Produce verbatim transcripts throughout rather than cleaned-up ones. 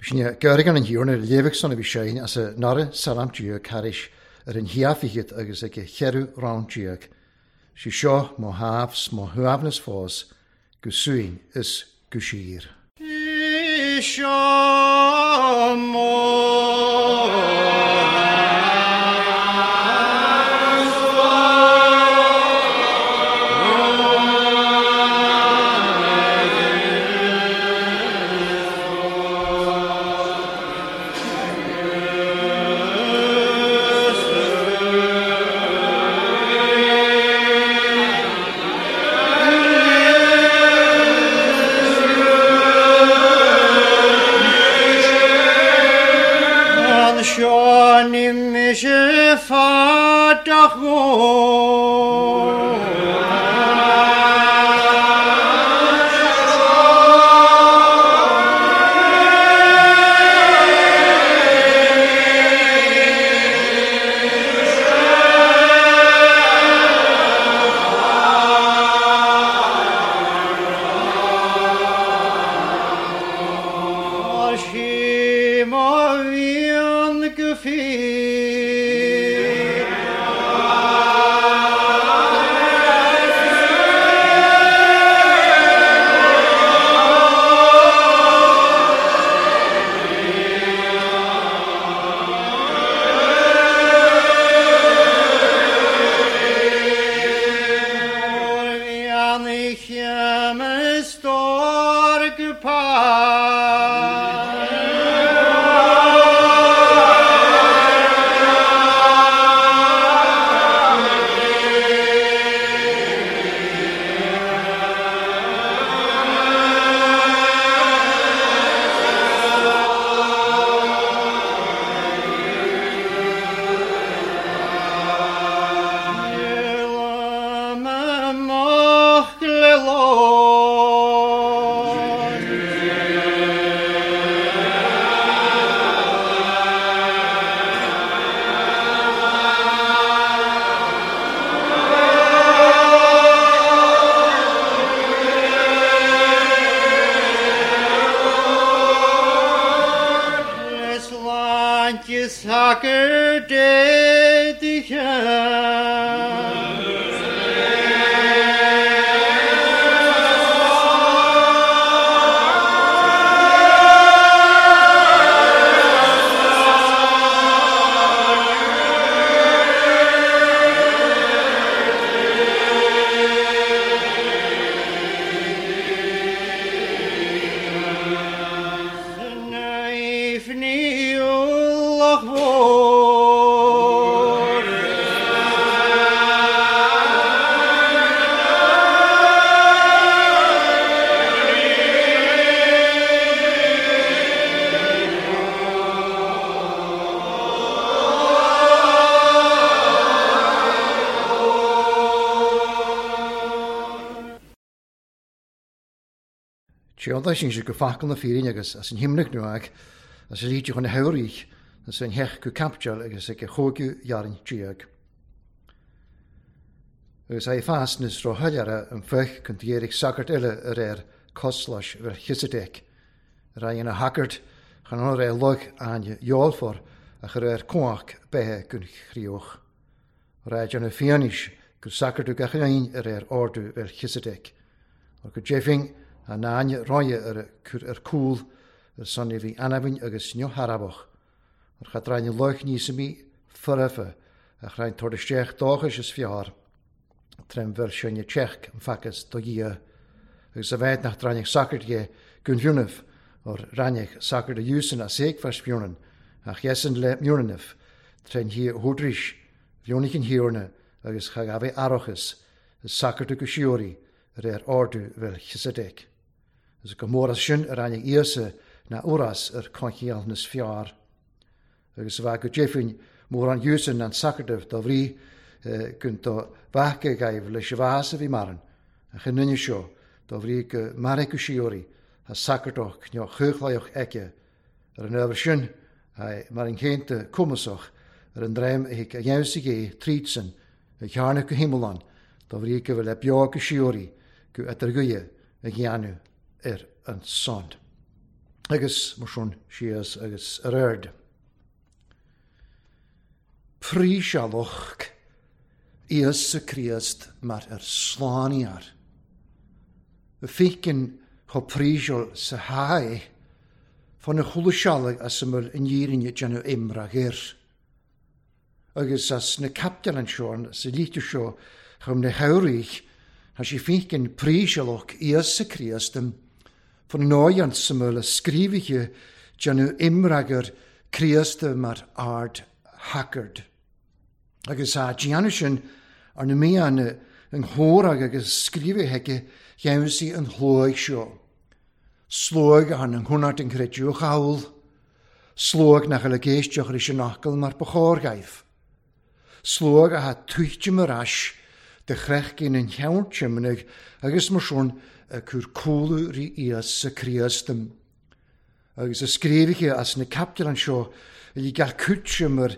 Sin Gurgan an hiúna léheh a bhí séin as a nara salamtíú caris ar an hiafichiid agus ag cheú roundtíag. Si seo má háfs má thuamhnas fós go suin is go siar. Seo mó. Séanda sin sé go facal na fírin agus as an himnach nuag as a líte chun na hauríich as an hech go capteal agus ag a chógiú jarin tíag. Agus é fás nus ro thuilleara an fuch chun dhéireach sagart eile a réir coslais Mheilcisedec. Ra ina hacart chan an ré log aine jóalfor a chur ar cuach bethe gun chríoch. Ra na fianis gur sacartú gach aon a réir ordú Mheilcisedec. Ar go jeffing a náine roie ar cur ar cúl ar son bhí anabhain agus neo harabach. Ar chadraine loich níos mí furfa a chrain tor isteach dóchais is fiar. Trem bhfuil sinne teach an facas do dhia. Agus a bheith nach draineach sacart dhe gun bhúnamh or raineach sacart a dúsan a séicfas bhúnan ach dhesan le múnanamh tren hí húdrís bhúnach an hiúrna agus cha gabh arachas is sacart go siúirí ar ar ordú Mheilcisedec. Agus go mór as sin ar aine íosa na uras ar conchial nas fiar. Agus a bheith go jeffin mór an dúsan an sacartah do bhrí gun do bhacha gaibh leis a bhás a bhí maran a chinine seo do bhrí go mara go siúirí a sacartach neo chuchlaíoch aici ar an ábhar sin mar an chéanta cumasach ar an dreim a hic a dheimhsigh é trídsan a chearna go himmealán do bhrí go bhfuil le beo go siúirí go idir gcuie a dhéanamh ar an son. Agus mar sin síos agus ar aird. Prísealach Íosa Críost mar ar slániar. Y ficin cho príseal sa hae, fan y chwlwsialag as ymwyl yn irin déanamh imrach ir. Agus as na captail an seo, sa lítir seo, chum na chabhraigh, tá sé ficin prísealach Íosa Críost fan nóian samul a scríbhithe déanamh imragair Críosta mar ard hackard. Agus a déanamh sin ar na míonna an chomhrá agus scríbhithe aige cheansaí an shlóigh seo. Slóigh a an chonart an chreidiúch amhail, slóigh nach bhfuil ag éisteacht leis an fhocal mar ba chóir dhaoibh. Slóigh atá tuighte mar ais de chrechcinn an cheann timnigh agus mar sin a cur cúlú rí Íosa Críost. Agus a scríbhithe as na captail anseo a bhí gach cúite mar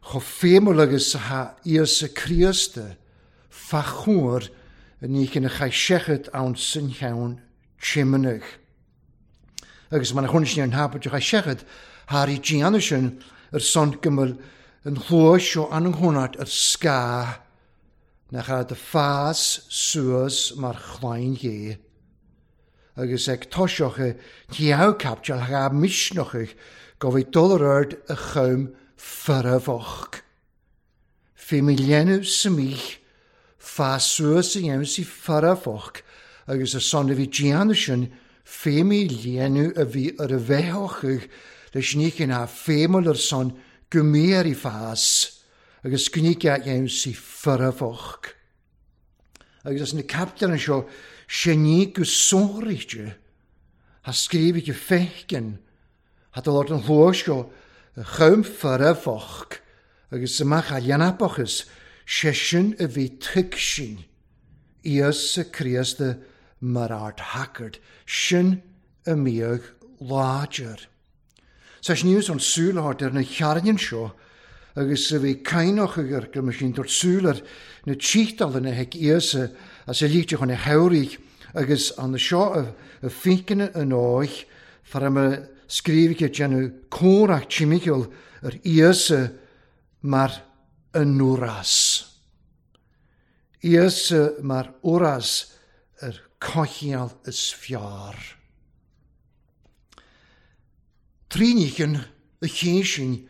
chomh féimúil agus atá Íosa Críosta fa chóir a ní ina chaith seachad ann san cheann timnigh. Agus mar a chonaic sin ar an thapaid a chaith seachad thar í déanamh sin ar son go bhfuil an chluais seo an an chonart ar scáth nach raibh de fás suas mar chlann Dhé. Agus ag toiseach ceann captail thá misneach go bhí dul ar aird a chum foirmheach. Fé mí léanamh sa mích, fás suas a dhéanamh sí foirmheach agus ar son a bhí déanamh sin fé mí léanamh a bhí ar a bheitheach leis ní ná féimúil ar son go mbí i fás agus gníce a dhéanamh sí foirmheach. Agus as na captail anseo sé ní go sonraíte ha scríobh go feicin ha dul ort an chló seo a chum foirmheach agus amach a dhéanapachas sé sin a bhí tuig sin Íosa Críosta mar ard hackard sin a mbíodh láidir. Sa sníos an súil thart ar na chearnain seo agus a bhí caineach agur go mba sin dúirt súil ar na tíochtálanna ag Íosa as a líte chun a chabhraigh agus an seo a ficin an áich far a scríobh déanamh comhrac timpeall ar Íosa mar an uras. Íosa mar uras ar cochial is fearr. Tríníchan a chéin sin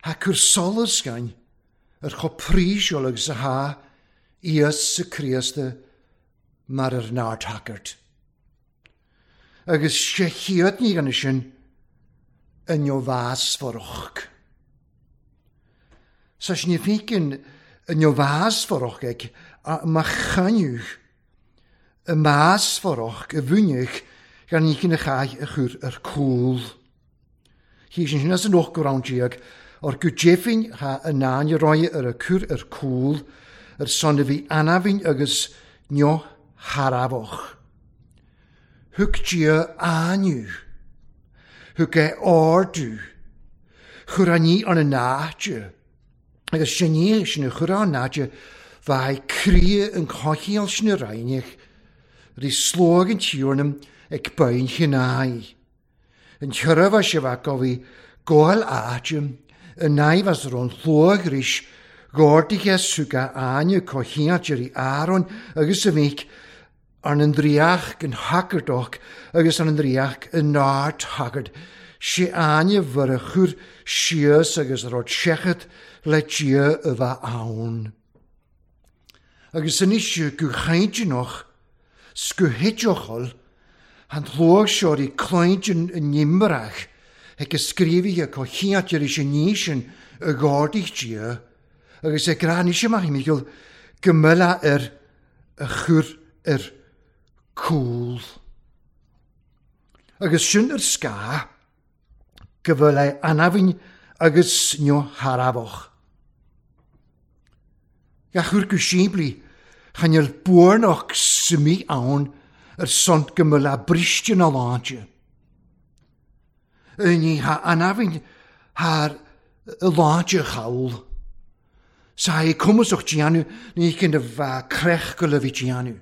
ha cur solas gain ar cho príseol agus a ha Íosa Críosta mar ar nárt hackard. Agus sé chéad ní gan sin yn o fásforach. Sa sin i ficin yn o fásforach ag a ma chaniwch y maasforach y fwynnych gan ní cyn y chai y chwr yr cwl. Hi sin sin as yn och gwrawn diag, o'r gwjeffin ha y na'n i roi yr y cwr yr cwl, yr son y fi anafin agus nio harafoch. Hwg dia aniw. Hwg e ordw. Chwr a ni an y nadio. Agus sin ni sin y chwr an nadio fai cri yn cochial sin y rainig. Ri slog yn tiwrnum ag bain chinai. Yn chyrfa si fa gofi goel adium, y naif as ron llwag ris, gordig e swga anu cochiad i Aaron agus y fic, ar an driach yn hagardoch agus ar an driach yn nard hagard. Si anu fyr y chwr sias agus ar o'r siechad le dia y fa awn. Agus yn eisiau gwchaidinoch, sgwhidiochol, han llwag sior i cloedyn yn nimrach, ag ysgrifi y cochiad i'r eisiau nisyn y gordig dia, agus e gran eisiau ma hi gymyla yr y chwr yr cwl. Agus sin yr sga, gyfylau anafin agus nio harafoch. Gachwr gwysibli, chanel bwrnoch symi awn yr sont gymyla bristyn o láide. Ní ha anafin har y láide chawl. Sa i cwmwswch dianw, ní cyn y fa crech gyda fi dianw.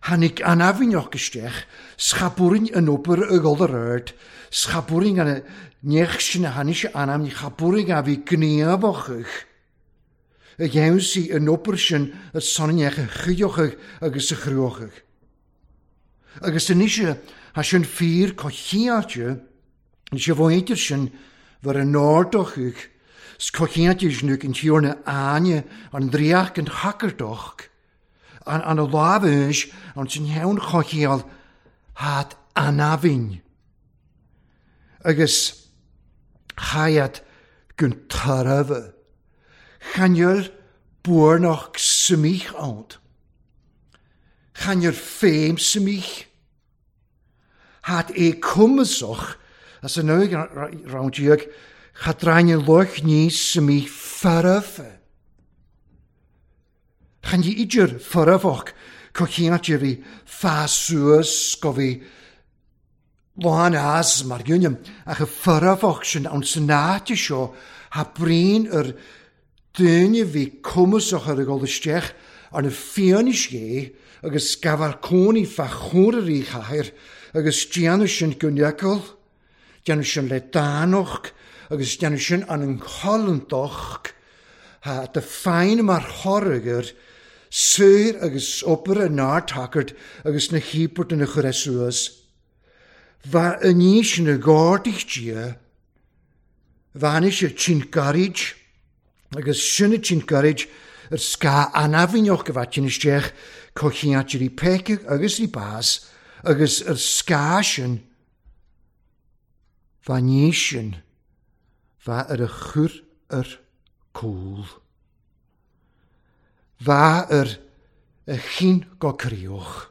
Tháinig an aibhneach isteach, scabúrainn an obair a dhul ar ard, scabúrainn an neach sin a tháinig sé anam, scabúrainn a bhí gníomhach. A dhéanfaí an obair sin a sonneach a chuideochadh agus a chruachadh. Agus anois tá sin fíor cothchiáilte, is a bhfuintear sin bhur an ardachadh, 's cothchiáilte sin an tiarna Áine an draíocht an chacardach, an an lámh an sin heann chochiall hát anabhinn. Agus chaiad gun tairbhe. Chanjul buarnach smích ánt. Chanjul féim smích. Hát é cumasach as an nuig round chadraine loch ní smích farfe. Chan i idir farfach cochiante bhí fásúas go bhí lán as mar gúnam ach a farfach sin an sanáte seo ha brín ar duine bhí cumasach ar a gol isteach ar na fianis é agus gabhar cónaí fa chóirí chathair agus déanamh sin go neacail, déanamh sin le dánach agus déanamh sin an an cholantach ha de féin mar chorragur saor agus obair an náirtacairt agus na híopairt na chur suas. Bha aníos na gárdach Dia, bhainnis sé sin gairid agus sinna sin gairid ar sca anabhíneach go bhait sin isteach cochiáirí peicach agus í bás agus ar sca sin bha níos sin bha ar a chur ar cúl. Bha ar a chin go críoch.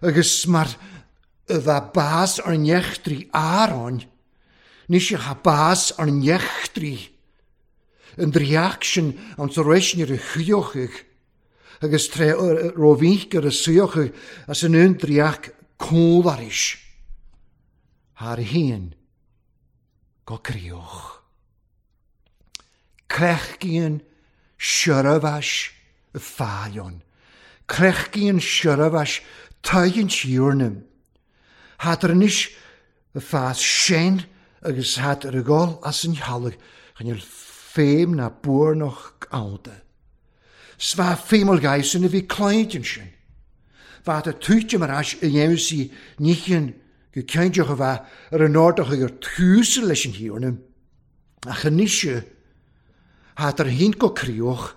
Agus mar a bha bás ar nechtrí Aaron, ní sé ha bás ar nechtrí. An draíocht sin an tar a chuiochach agus tre rómhínch ar a suíochach as an un draíocht cólaris. Thar haon go críoch. Crechcíonn siorabhais y fáileon. Crechcíonn siorabhais tuigeann siúrnam. Hát ar anois y fás sin agus hát ar a gol as an thealach chan féim na buarnach ánta. Sva féimeal gaisin a bhí cláintin sin. Bha a tuite mar ais a dhéanamh sí níchin go ceanteach a bheith ar an ardach ag ar túsa leis an thiarna. Ach anois hát ar haon go críoch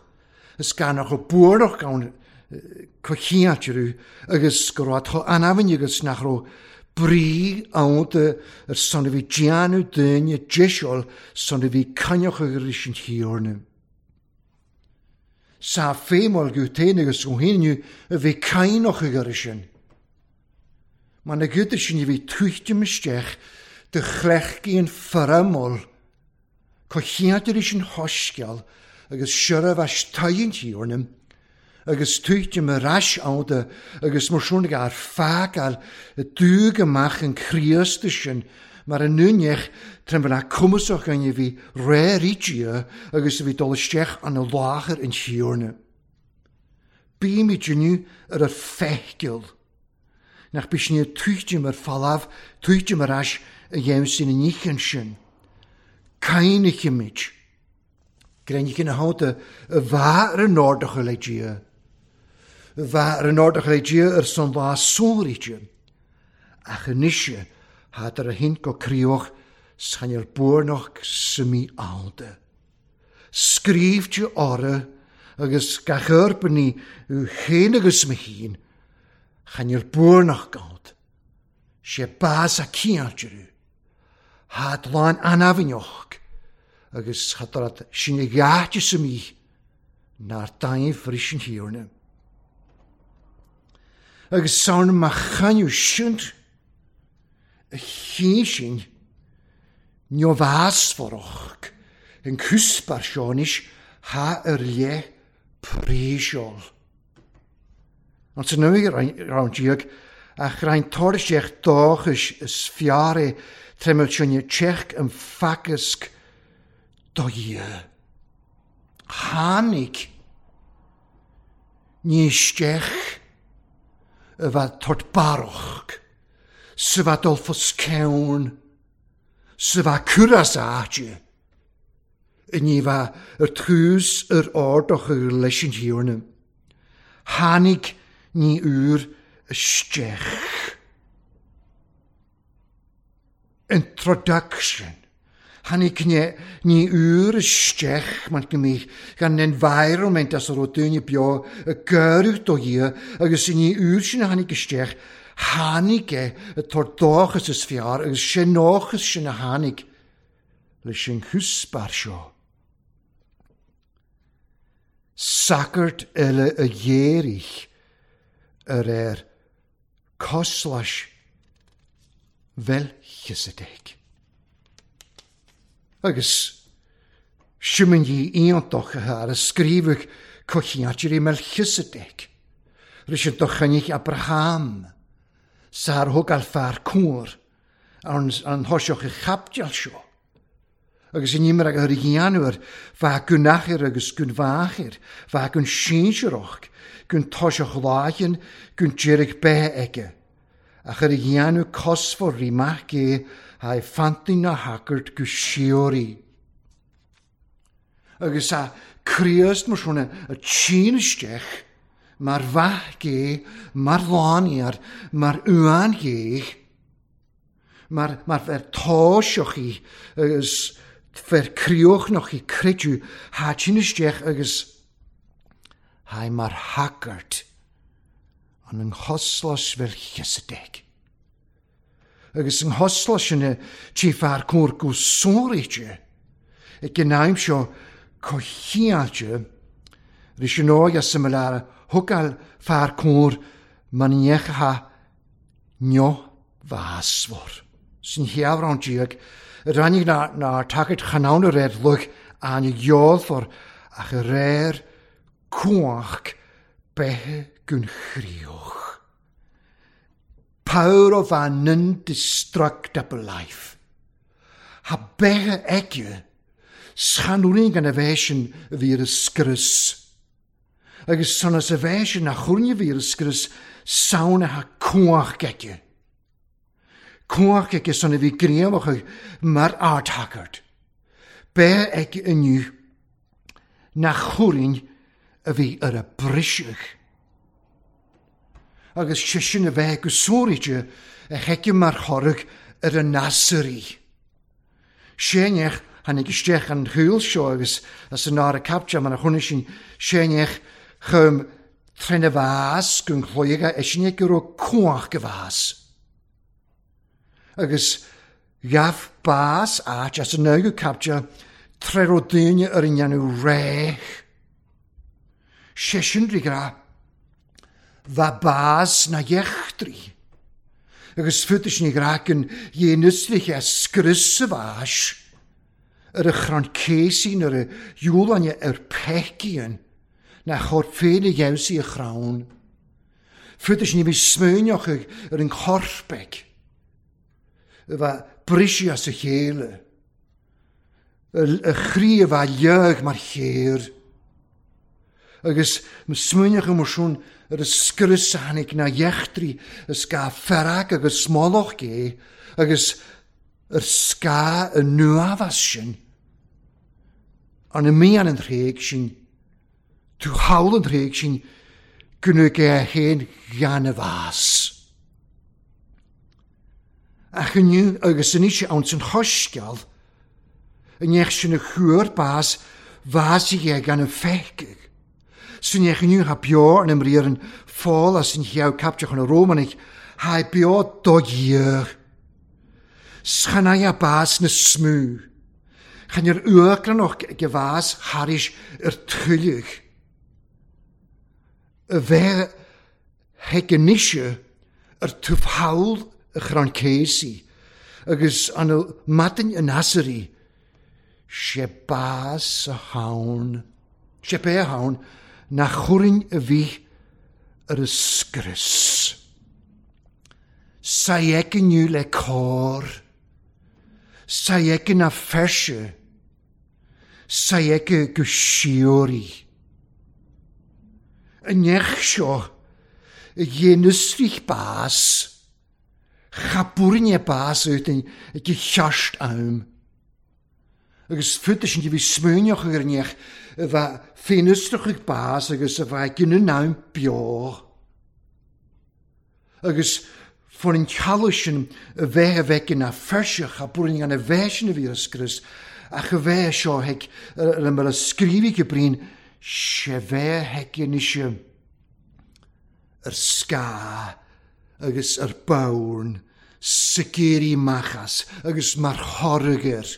is gan nach go buarnach ann cochiáitiú agus go raibh tá anabhainn agus nach raibh brí ánta ar son a bhí déanamh duine deiseáil son a bhí cainneach ar leis an thiarna. Sa féimeal go féin agus go héinniú a bhí cainneach ar sin. Mar na gcuid sin a bhí tuitim isteach de chlechcíonn foramol cochiáilte leis an thosceal agus siorabhais tuigeann thiarna agus tuitim ar ais ánta agus mar sin ar fágáil a dúg amach an Chríosta sin mar an núneach trim bhna cumasach an a bhí réiríte agus a bhí dul isteach an a láthair an thiarna. Bímid inniu ar a feicil. Nach bí sin tuitim ar falamh, tuitim ar ais a dhéanamh sin an níchan sin. Cainnichimid. Greinnich ina hánta a bha ar an ardach le Dia. A bha ar an ardach le Dia ar son lá sóiríte. Ach anois hát ar a hint go críoch schanel buarnach simi ánta. Scrífte orra agus gach urbanní u chéin agus me chéin chanel buarnach gánt. Sé bás a ciáiltearú. Hát lán anabhíneach agus chatarad sin a gháite sa mí nár dain fris an thiarna. Agus saon ma chaniú sint a chéin sin neomhásfarach an cúspar seonis ha ar le príseol. An sa nuig round ach rain torseach dóchais is fiare tremel sinne tseach an facasc do Dhia. Tháinig ní isteach a bheith tort barrach, sa bheith dul fos ceann, sa bheith cur as áite, i ní bheith ar tús ar ardach leis an thiarna. Tháinig ní úr isteach. Introduction. Tháinig ní úr isteach mar go mbíodh gan environment as a raibh daoine beo a gcuireadh do Dhia agus ní úr sin a tháinig isteach, tháinig é a tabhairt dóchas is fearr agus sin dóchas sin a tháinig leis an chuspar seo. Sagart eile a ghéaraigh ar ar coslais Mheilciséidéic. Agus siúmann dhi iontach a ar a scríobhadh cochiáitirí Melchisedec. Ris an dochainich Abraham, sar thug al fear cúr an, an thoiseach i chapdeal seo. Agus in imir ag yr ghianwyr, fa gwnachir agus gwnfachir, fa gwn sinseroch, gwn toiseach lágin, gwn deirig be aige. Ach yr ghianw cosfor ri mach e, ha'i ffantin na hagart go siori. Agus a Críost mar sin a tsin isteach, mar mhaith gé, mar lániar, mar uan gé, mar, mar fer táiseach í, agus fer crioch noch i creidú, ha tsin isteach agus ha'i mar hagart an an choslas Mheilciséidéic. Agus an choslas sin tí fear cóir go sóiríte, ag an aim seo cochiáilte, ris an óige similar thugáil fear cóir maníocha neo bhásmhar. Sin heamhrán díag, rannig na, na tagairt chanán a réir luch an gheolfar ach a réir cuach bethe gun chrioch. Power of an indestructible life. Ha bethe aige, schanúrin gan a bheith sin a bhí ar a scrios. Agus sonas a bheith sin a churne bhí ar a scrios, sauna ha cuach aige. Cuach aige son a bhí gréamach mar ardhagart. Be aige inniu na churin a bhí ar a briseach. Agus sé sin a bheith go sóiríte a cheice mar chorrach ar a nasairí. Séneach tháinig isteach an chúil seo agus as an ára capte mar a chuna sin séneach chum trína bhás gon chloige é sin go raibh cuach go bhás. Agus ghabh bás áit as an nógu capte tre raibh daoine ar an dhéanamh réich. Sé sin rí bha bás na dheachtraí. Agus futas ní ghracan dhéanúslich a scrios a bháis ar a chrann céisín ar a dúlainne ar peicíon na chóir féin a gheabhsaí a chrann. Futas ní bhí smuineach ar an chorpaigh a bheith brisí as a chéile, a chrí a bheith leag mar chéir. Agus smuineach mar sin ar a scrios a tháinig na dheachtraí a sca fearg agus smólach gé agus ar sca a nuafas sin an y mian yn rheg sin tú hawl yn rheg sin gwnwg e hen gan y fas. Ach inniu agus yn eisiau awn sy'n chosgial yn eich sy'n y chwyr bas fas i e gan y ffecig. Sy'n eich inniu ha bio yn ymrir yn ffôl a sy'n hiaw captiach yn y Romanig ha bio dogier. Schanai a bas na smú. Chan yr uagran o'ch gefas haris yr trylig. Y fe hegenisio yr twfhawl y chran ceisi agus an y madyn yn asari sé bas a hawn, sé be a hawn na chwrin y fi yr ysgrys. Saegyn yw le cor, saegyn a ffersio, saegyn gwsiori. Yn eich sio, dhéanúsrich bás, cha búrinne bás uit ag cheart am. Agus futa sin bhí smuneach ar neach a bheith féinúsrach bás agus a bheith gin am beo. Agus for an cealadh sin a bheith a bheith na feirseach a búrinne an a bheith sin a bhí ar scrios, ach a bheith seo ag le mar a scríobh go brín sé bheith ag anois ar scáth agus ar bhonn sa géirí machas agus mar chorgair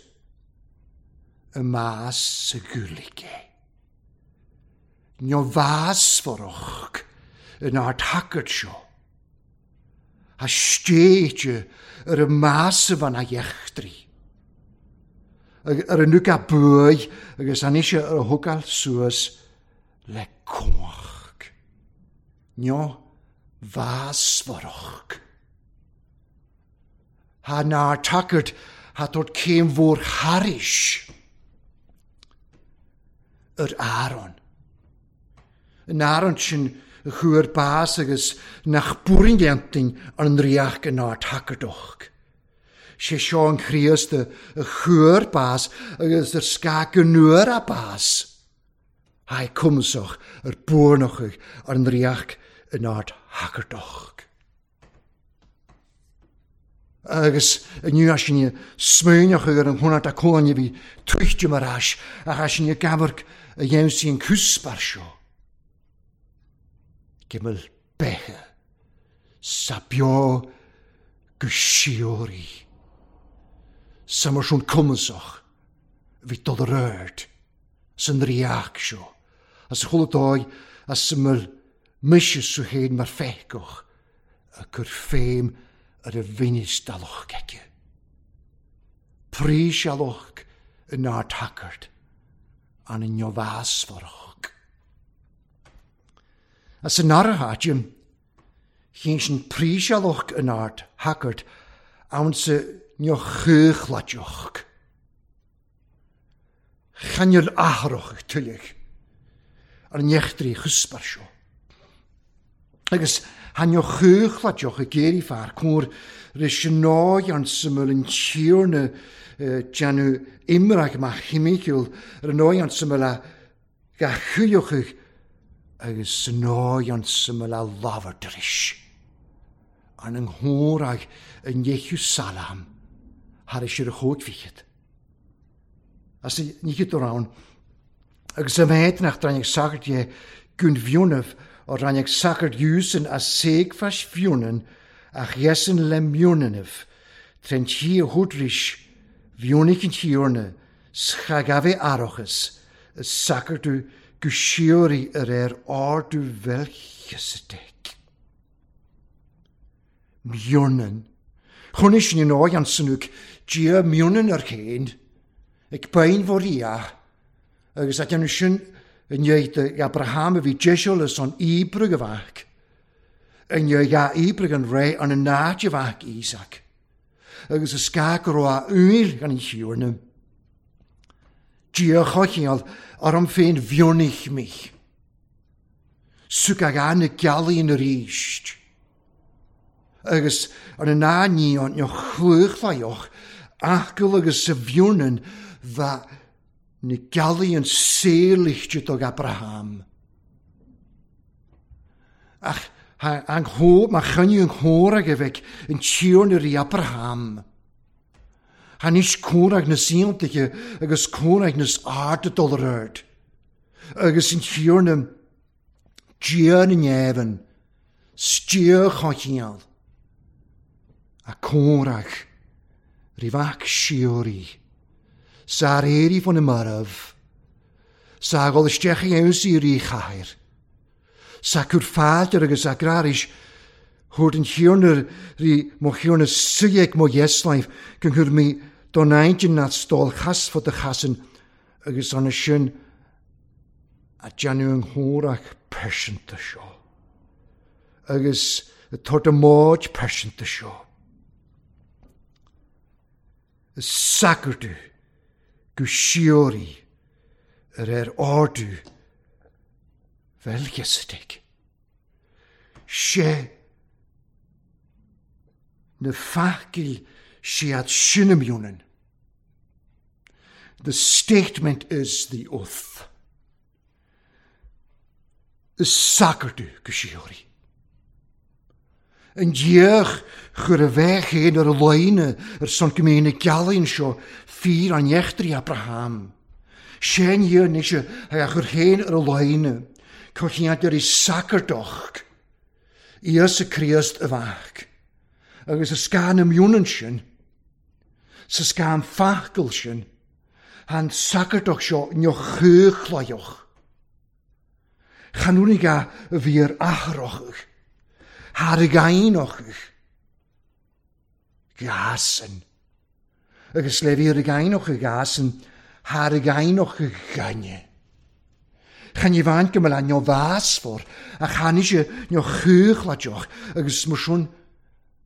y mas y gwlige. Nio fas forwch yn ar tacad sio. A steitio ar y mas y fan a iechdri. Ar y nwg a bwy agus an eisiau ar y hwgal sŵas le coch. Nio fas forwch. Ha na'r tacad ha dod cem fôr haris. Yr Aaron. Yn Aaron sy'n chwyr bas agus nach bwrin gentin an riach yn ar tacadwch. Sé seo an Chríost y chwyr bas agus yr sgag yn a bas. Hai cwmsoch yr bwrnoch an riach yn ar tacadwch. Agus inniu sin smuoineach ar an hwnna a cóine bhí tuichte mar ais ach sin gabharc a dhéanamh sí an cúspar seo. Gimel beche sa beo go sióirí. Sa mar sin cumasach bhí dul ar aird san riach seo. As chuile dóigh as mil mise sú héin mar feiceach a cur féim ar y bhínis dalach aici. Prísealach yn ár tacart an yn neamhásmharach. As yn artháidim, chéin sin prísealach yn ár tacart ann sa neamhchuchlaiteach. Channeal athrach tuilleach ar an neachtraí chuspar seo. Agus han jo chuchlaiteach a géirí fear cóir ris náid an syml yn tíorna déanamh imreach má chimiciúil ar an náid an syml a ga chuiochach agus náid an syml a lámhardris. An an nghórach yn deichiú salam thar is ar a chóid fichead. As ní chyd o'r ann, agus a bheith nach drainneach sagart é gún bhionamh o ranneach sagart iúsan a séagfas bhionan ach dhesan le mionanamh, tren tí a húdris bhionaich an tíorna schagave arachas a sagartú go sióirí ar ar ardú bheilcheasadach. Mionan. Chonais sin an áid an sanúc dia mionan ar chéin, ag bain fór ia, agus a déanamh sin yn dhéid Abraham a bhí deisiúlas an íbrug a bheach, yn dhéid a íbrug an ré an an náid a bheach Isaac, agus a scac go raibh a úil gan an chiúrna. Dia choicheall ar an féin bhionnaich mich. Suc ag an na gealaí yn yr íst. Agus ar an ná ní an neo chluchlaioch, achgal agus sa bhionan bha na gealaí an saolichte dog Abraham. Ach an chó, ma chynnu an chórag a bheith an tíorna rí Abraham. Han is córag na saontaithe agus córag nas ard dul ar aird. Agus an tíorna Dia na neamhan, stíor choicheall. A córag rí bheach sióirí, sa éirí fan na marbh, sa gol isteach i aimsí rí chathair, sa cur fáilte agus a gráris, thuair an chiúrna rí mo chiúrna suíoch mo dheasláimh go chur mí don aintinn nach stól chasfad a chasan agus an sin a déanamh an chórach pearsanta seo. Agus a tabhairt a máid pearsanta seo. Is sagartú go sióirí ar ar ardú bheilcheasadach. sé na facail siad sin mionan. The statement is the oath. Is sacardu go siori. An diach chur a bheith chéin ar a loine ar son go mé na gealaíonn seo fíor an eachtraí Abraham. Sin dhia nise a chur chéin ar a loine, cochiant ar i sacardoch, Íosa Críost a bheach. Agus a scán am mionan sin, sa scán facail sin, han sacardoch seo neo chuchlaioch. Chanúnig a bhí ar athrochach, haar gainoch. Gasen. Agus le bhí ar gainoch gasen, haar gainoch gaine. Chan i bhain go mbeadh neo bhásfar, a chan ise neo chuchlaioch, agus mar sin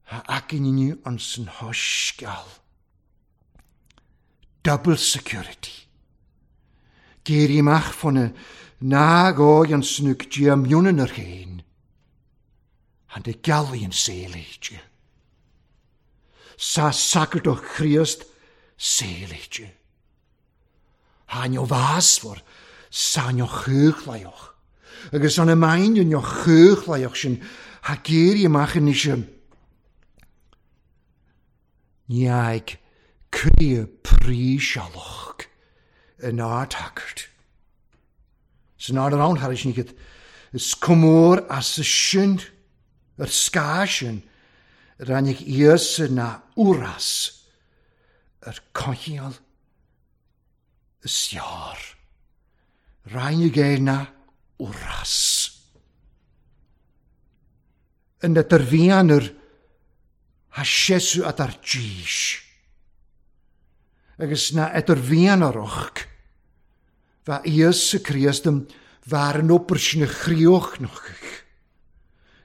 ha acinniú an san hoisceal. Double security. Géirí amach fona ná gói an snúc dia mionan ar chéin. Han de gealaíonn saoilíte. Sa sacardoch Chríost saoilíte. Ha neo bhásfar sa neo chuchlaioch. Agus an main neo chuchlaioch sin ha géirí amach anois Ní cria prísealach in ardhacart. San ard an haris nígad is cumór as a sin ar scá sin rannig Íosa na úras ar cochial is jaar. Rannig é na úras. En dat er vianer ha sesu at ar dís. Agus na et er vianaroch va Íosa Críostum var an oper sin a chrioch noch.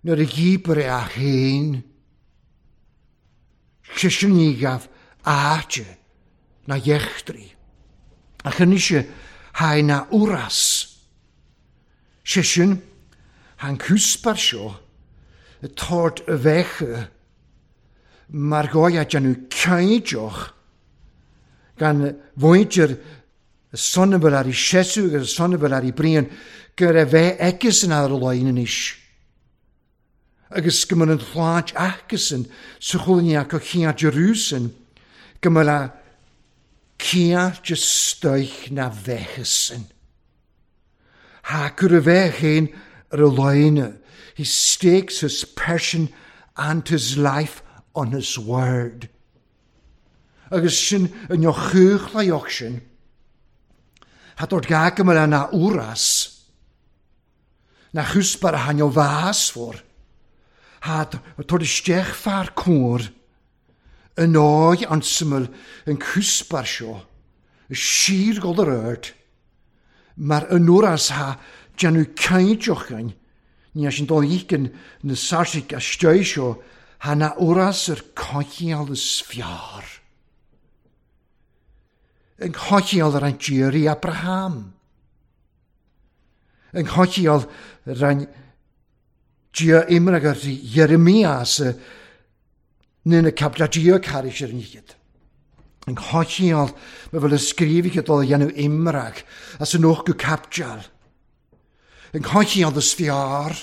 Nuair a gíbar é a chéin. Sisin ní gaf áte na dheachtraí. Ach anois ha na úras. Sisin han cúspar seo y tord y fecha mar goia déanamh caideoch gan bhaintear y sonabal ar i sesu agus y sonabal ar i brian gur a bheith aicis an ar lein anois. Agus go mbeadh an shláint aicesan sa chulainn acu chéad Jerúsalem go mbeadh a céad de stoich na bheithasan. Ha cur a bheith chéin ar a leine. He stakes his person and his life on his word. Agus sin yn neo chuchlaioch sin. Ha dod gag ymwyl na úras. Na chwsbar a hanio fas for. Ha dod isteach far cwr. Yn o'i ansyml yn cwsbar sio. Y sir gol yr erd. Mae'r yn úras ha déanamh caidioch gain. Ní as sin dul ícin na sarsic a stoi seo ha na úras ar cochial is fiar. Yn cochial ar an díri Abraham. Yn cochial ar an dia imrag ar Jeremias nyn y capla dia caris ar nígyd. Yn cochial mae fel ysgrifig dul dhéanamh imrag as yn och go capjal. Yn cochial is fiar.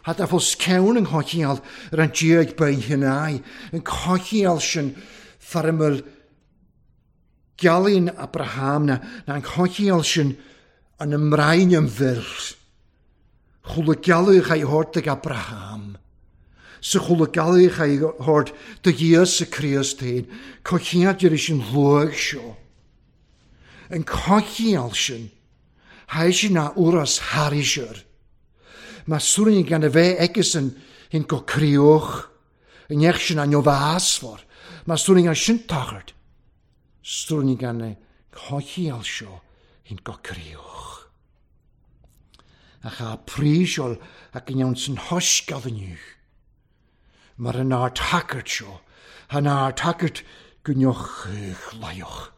Had a fos cewn yn cochial ar an dia ag bein hynau. Yn cochial sin farmel gealaíonn Abraham na na an cochial sin an ymrain yn fyr. Chwla gealaíoch a'i hort ag Abraham. Sa chwla gealaíoch a'i hort dy Íosa Críost féin. Cochial dir sin luag seo. Yn cochial sin haid sin na úras harisir. Mae sŵrin gan y fe egus yn hyn go crioch. Yn eich sin an fásfor. Mae sŵrin gan sin tachart. Sŵrin gan y cochial seo hyn go crioch. Ach a prísiol ac yn iawn sy'n hosgad yn yw. Mae'r yn ar tacart seo. Han ar tacart gwnioch laioch.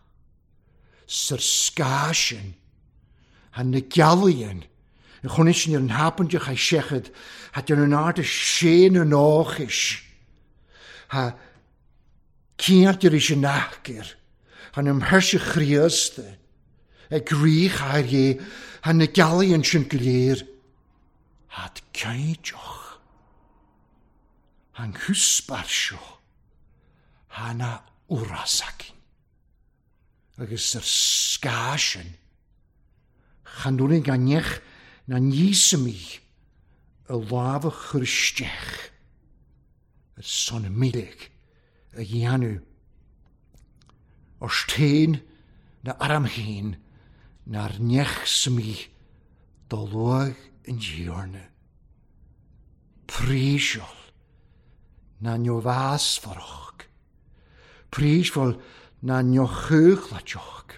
Sy'r sga sin. Han na gealaíonn. Chun sin ar an hapandeach ha seachad, ha déanamh an airde sé na nóchais. Ha ciantar is an achir, han am herse chríosta, ag ríoch ar é, han na gealaíonn sin go léir. Had caideoch, han húsbar seo, han a úrasakin. Agus ar sgásin, chan dúinn gan nech na níosamaí a lámha chur isteach ar son mílig a dhéanamh Os teen na aram héin na'r nech sami do luag yn diorna. Prísiol na nio fas foroch. Prísiol na nio chwchlachoch.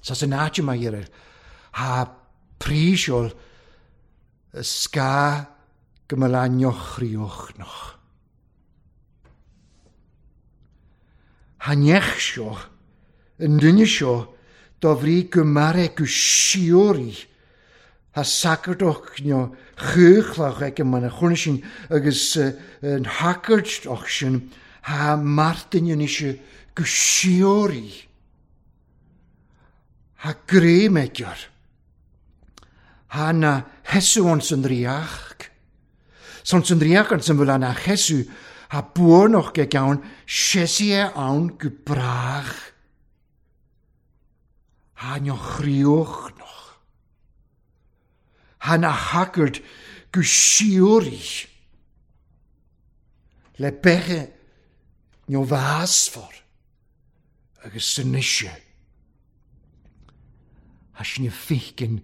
Sas yn áit yma i'r ha prísiol y sga gymyla nio chrioch noch. Ha nech sio, yn duine sio, do fri gymare gwsiori ha sacardoch nio chuchlach ag yma na chwrna agus yn hacard och sin ha martin yn eisiau gwsiori ha gremegior ha na hesu ons yn riach sons yn riach ons yn fyla na hesu ha buonoch ge gawn sesie awn gwbrach ha nio chrioch noch. Ha na haggard gwsiori. Le beche nio fasfor agus synisio. Ha sin fichen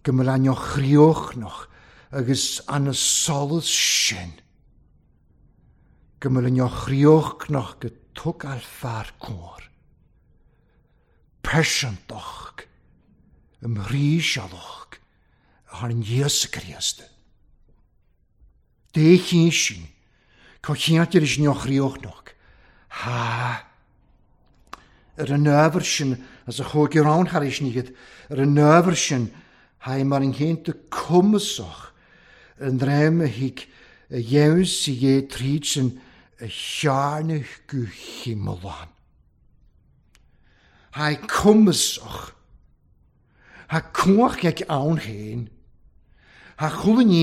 gymyla nio chrioch noch agus an y solus sin. Gymyla nio chrioch noch gytwg al far cwr. Persantoch, ymrhisialoch, ar an Iesu Christ. De sin, cochiantir is nioch riochnoch. Ha, ar an öfr sin, as a chóg i'r awn har is nigid, ar an öfr sin, ha i mar yn hyn dy cwmysoch, yn drem y hig, y iews i e tryd sin, y siarnach gwchimylan. Ha cwmysoch, ha cwach ag awn hyn, ha chwlyn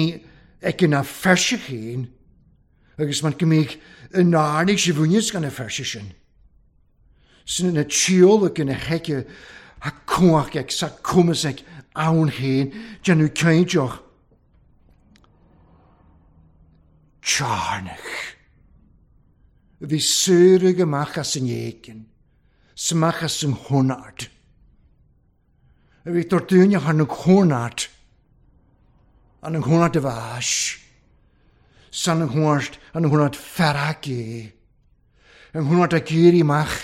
ag yna fersych hyn, agus ma'n gymig yn arnig sy'n fwynis gan y fersych sin. Sy'n yna tiol ag yna hege, ha cwach ag sa cwmys ag awn hyn, dyn nhw ceidioch. Tiarnach. Fi syrig ymach as yn iegin. Smach as yn hwnad. A fi dordunio han yn hwnad. An yn hwnad y fas. San yn hwnad, an yn hwnad fferagi. Yn hwnad a gyr i mach.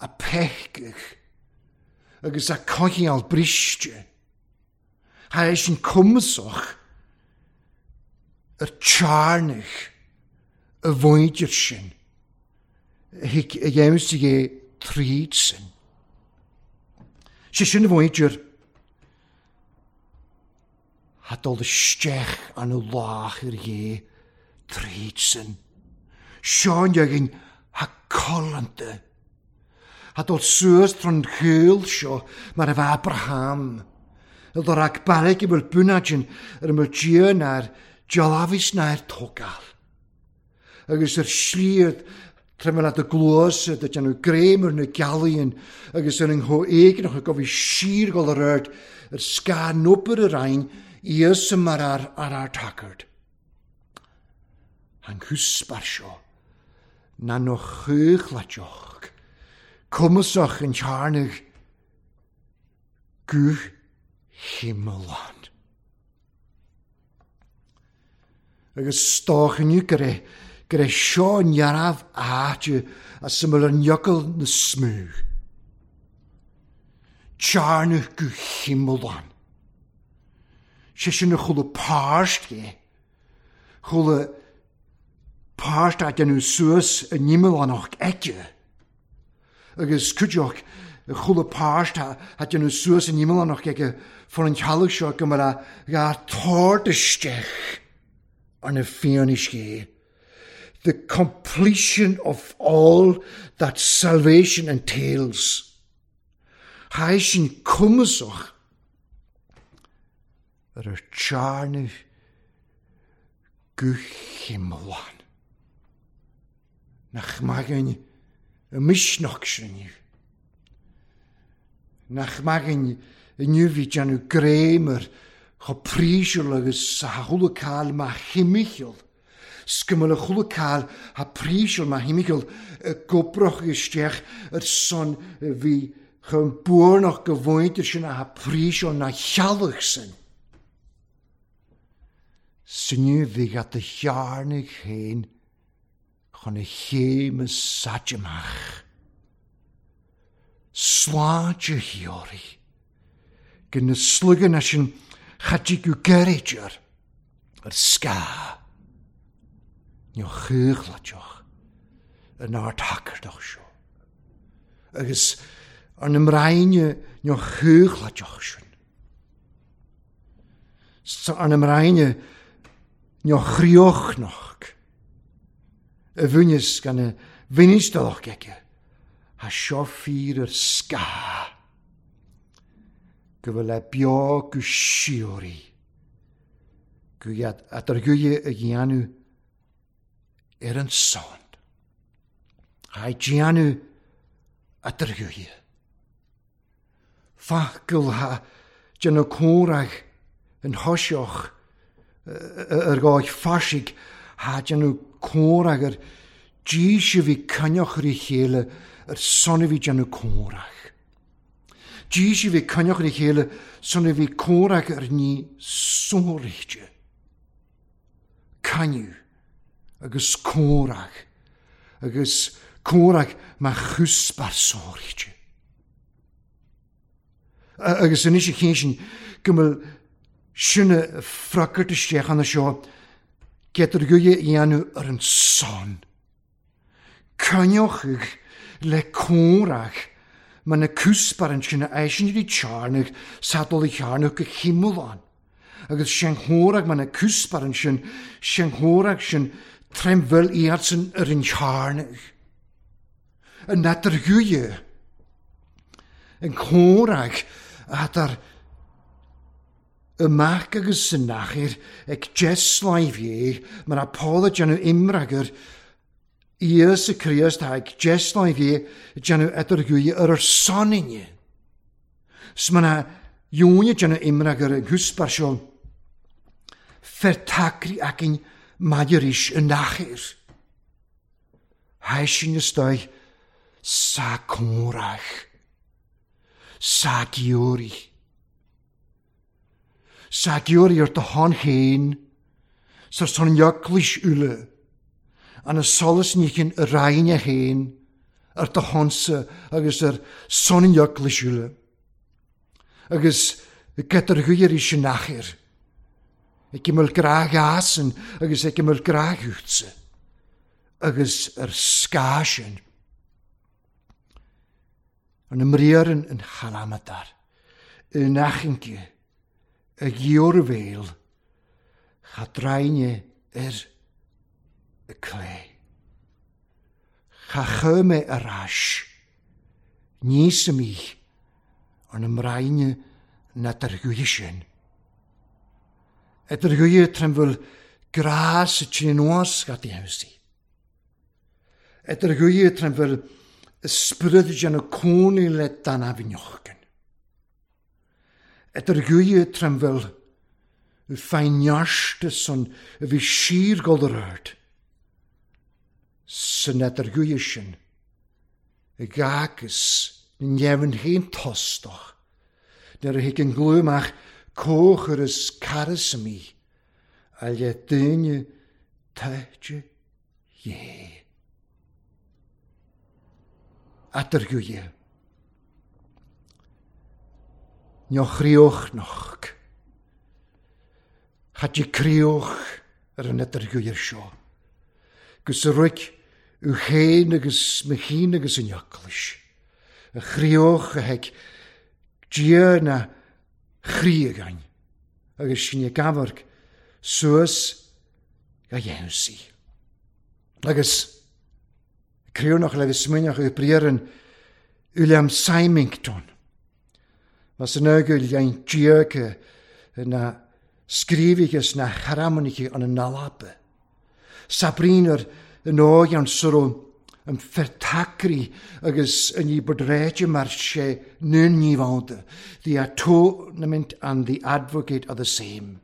A pechgych. Agus a cochial bristio. Ha eis yn cwmysoch. Yr tiarnach. Y fwydyr sin. Hic y iews i e tryd sin. Sé sin y fwydyr. Ha dol y stech an y lach yr ie tryd sin. Sean iagin ha colante. Ha dol suas tron chwyl sio mar efo Abraham. Y dor ag bareg i myl bwnadyn yr ymwyl dion a'r diolafis na'r togal. Agus yr sliad tremel at y glws, dydyn nhw greim yr nhw galion, agus yr yngho egnach y gofi sir gol yr erd, yr sga nwbr yr ein, ias ymar ar ar ar tacard. Han hwsbar sio, na no chwych ladioch, cwmysoch yn charnach, gwch himmelan. Agus stoch yn yw gyda, gyda sio yn iaraf áte a syml yn iogl na smwg. Tiarnach go himmelan. Sé sin y chwla parst ge. Chwla parst a dyn nhw suas yn himmelanach ege. Agus cwdioch chwla parst a dyn nhw suas yn himmelanach ege fan an teallach seo go mbeadh dhá tord isteach ar na fianaiscí. The completion of all that salvation entails. Tha sin cumasach ar ar tearnamh go hiomlán. Nach maith againn y misneach sin inniu. Nach maith againn inniu bhí déanamh greim ar chomh prísiúil agus a chuala cáil má thimcheall. 'S go mbeadh a chuala cáil tha prísiúil má thimcheall i gcobrach isteach ar son bhí chun buarnach go bhfuintir sin a tha prísiúil ná chealach sin. Sinniu bhí at a chearnaigh féin chun a chéime sáite amach. Sláinte shíoraí. Go na sluganna sin chaidí go geirítear ar scáth. Ní chuchlaiteach an ardhacardach seo. Agus ar na mbraine ní chuchlaiteach sin. Sa ar na mbraine ní chríochnach. Y bhúnis gan y bhínistalach aige, ha seo fíor ar scáth. Go bhfuil le beo go síoraí. Go iad eadarghuille a dhéanamh ar an son. Ha déanamh eadarghuille. Facil ha déanamh comhrach an thoiseach ar gáid farsaigh ha déanamh comhrach ar dís a bhí coinneach ar a chéile ar son a bhí déanamh comhrach. Dís a bhí coinneach ar a chéile son a bhí comhrach ar ní sóiríte. Cainniú agus comhrach agus comhrach mar chusbar sóiríte. Agus anois a chéin sin go bhfuil sinne fracairt isteach ann seo Getar guille dhéanamh ar an son. Coinneochaidh le comhrach mar na cúsbar an sin a eisin rí tearnach sadol i chearnach go chimúlán. Agus sin chomhrach mar na cúsbar an sin, sin chomhrach sin tremfil iadsan ar an chearnach. An eadar guille, an comhrach eadar amach agus san nachair ag deasláimh mar a Paul a déanamh imreagar Íosa Críost ag deasláimh déanamh eadarghuille ar ar soninne. 'S mar a dheoine déanamh imreagar an gcúsbar seo fer tacraí againn maidir is an nachair. Tha sin istoigh sa comhrach, sa giúraí. Sa giúraí ar do shon féin, sar son eaglais uile, an y solas níchin y rhain féin, ar do shonsa agus ar son eaglais uile. Agus gyda'r gwir i sinachir, ag ymwyl grag asan agus ag ymwyl grag wtsa, agus ar sgasin. An ymriar yn, yn chalamadar, yn achinge, y giwr cha draine ar y cle. Cha chyme ar ais, nís y mi, an ymraine na dargwyd sin. Edargwyd tremfyl gras y tyn oes gad i hewsi. Edargwyd tremfyl ysbryd jan y cwni le dan afinochgen. Edargwyd tremfyl y ffainiaste son y fi sir golryd. Sy'n edargwyd sin y gagus yn nefn hyn tostoch. Ner y hig yn glwymach coch yr ys carys mi, a le dyne taite ie. Adargwyd. Nioch rioch noch. Chat i crioch ar an adargwyd seo. Gus y rwyc yw hen agus mychyn agus yn iaclys. Y chrioch a heg dia na chroí againn agus sinn ag amharc suas go Iesu. Agus criúnach le bheith smaoineach i briathran William Symington. Mas an ógul dhein díorca na scríobhaithe na charamanaithe an nalapa. Sabrínar an ógean soro an fertacri agus an ní bodréite mar sé nun ní bhánta. The atonement and the advocate are the same.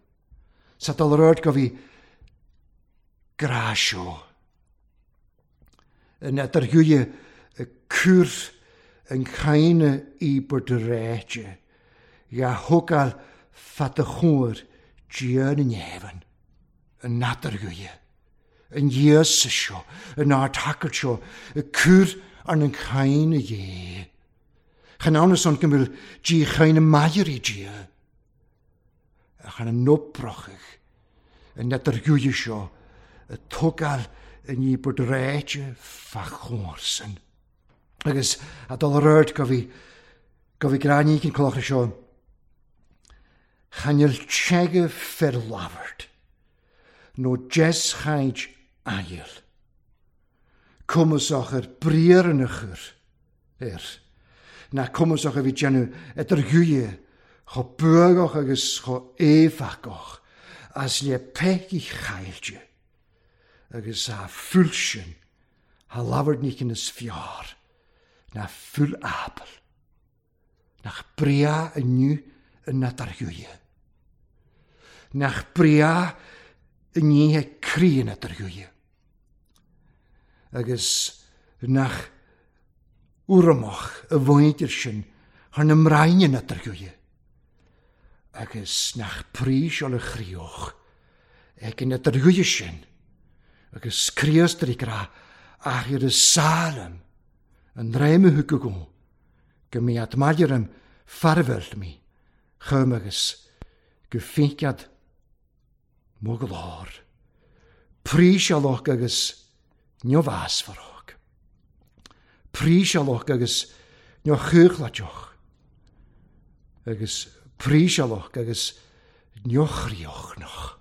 Sa dal rud go bhí grá seo. Yn edarhwyau y cwr yn chaine i bodréite. Ia hogal fadachwr diön yn efan. Yn nadarhwyau. Yn Iesu seo, yn ardhacart seo, y cwr an yn chaine ie. Chan awn son gymryd di chaine mair i dia. A chan yn nobrochach yn nadarhwyau seo, y togal yn i bodréite fachorsen. Agus a dal röd go bhí go bhí gráinní cyn cloch seo. Chanel tshege fer lavert. No jes chaint ail. Cwmwsach yr brier yn ychur. Er. Na cwmwsach y fi genu edr hwyau. Cho bwgoch agus cho efagoch. As le pech i chailje. Agus a fulsyn. Ha lavert nicht in es fjar. Na ful apel. Nach bria yn nu yn nadarhwyau. Nach bria yn ni he cri yn nadarhwyau. Agus nach wrmoch y fwydir sy'n han ymraen yn nadarhwyau. Agus nach pris ol y chrioch ag yn nadarhwyau sy'n. Agus crios dri gra ach i'r y salem yn reim y hwgwgw gymi admadirym farfel mi chym agus gyffinciad mwglor. Prísialoch agus niofasfarog. Prísialoch agus niochuchlajoch. Agus prísialoch agus niochriochnoch.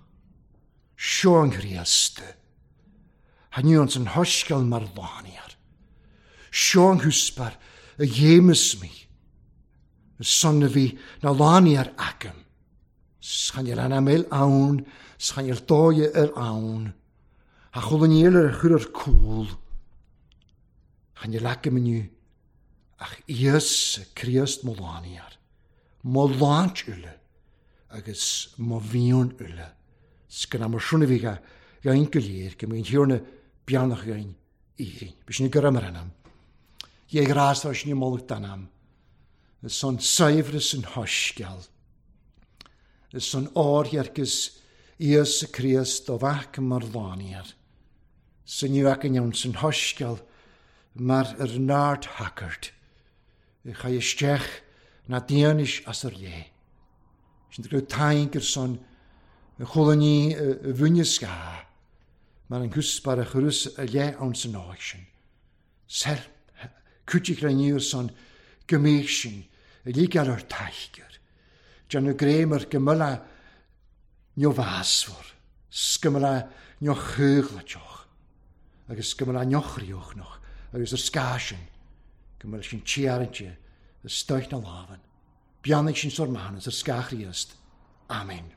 Sio'n chriaste. Hanions yn hosgel mar laniar. Sio'n hwsbar y jemus mi. Y son fi na laniar agam. Schanel an amel awn, schanel doie yr awn. A chwlaniel yr chwr yr cwl. Chanel agam yn yw. Ach ies criast mo laniar. Mo lanch yle. Agus mo fion yle. Sgan am yr siwna fi ga gain gylir, gymryd hiwrna bianach gain irin. Bys ni gyrra mar anam. Ie gras oes ni molwg danam. Y son saifrys yn hosgel. Y son o'r hiergys Ies y Christ o fac mar laniar. Sy'n yw ac yn iawn sy'n hosgel mar yr nard hackert. Y chai ystech na dianish as yr le. Sy'n drwy tain gyr son y chwlwn ni y fwynysga. Mar yn hwsbar y chwrws y le awn sy'n oesin. Sel, cwtig rhaid ni son gymeisin y ligal o'r taigr. Jan y grem yr gymyla nio fasfwr, sgymyla nio chyglatioch, agus sgymyla nio chriwchnoch, agus yr sgasyn, gymyla sy'n tiarantio, y stoich na lafan. Biannig sy'n sor manas, yr sgachriast. Amen.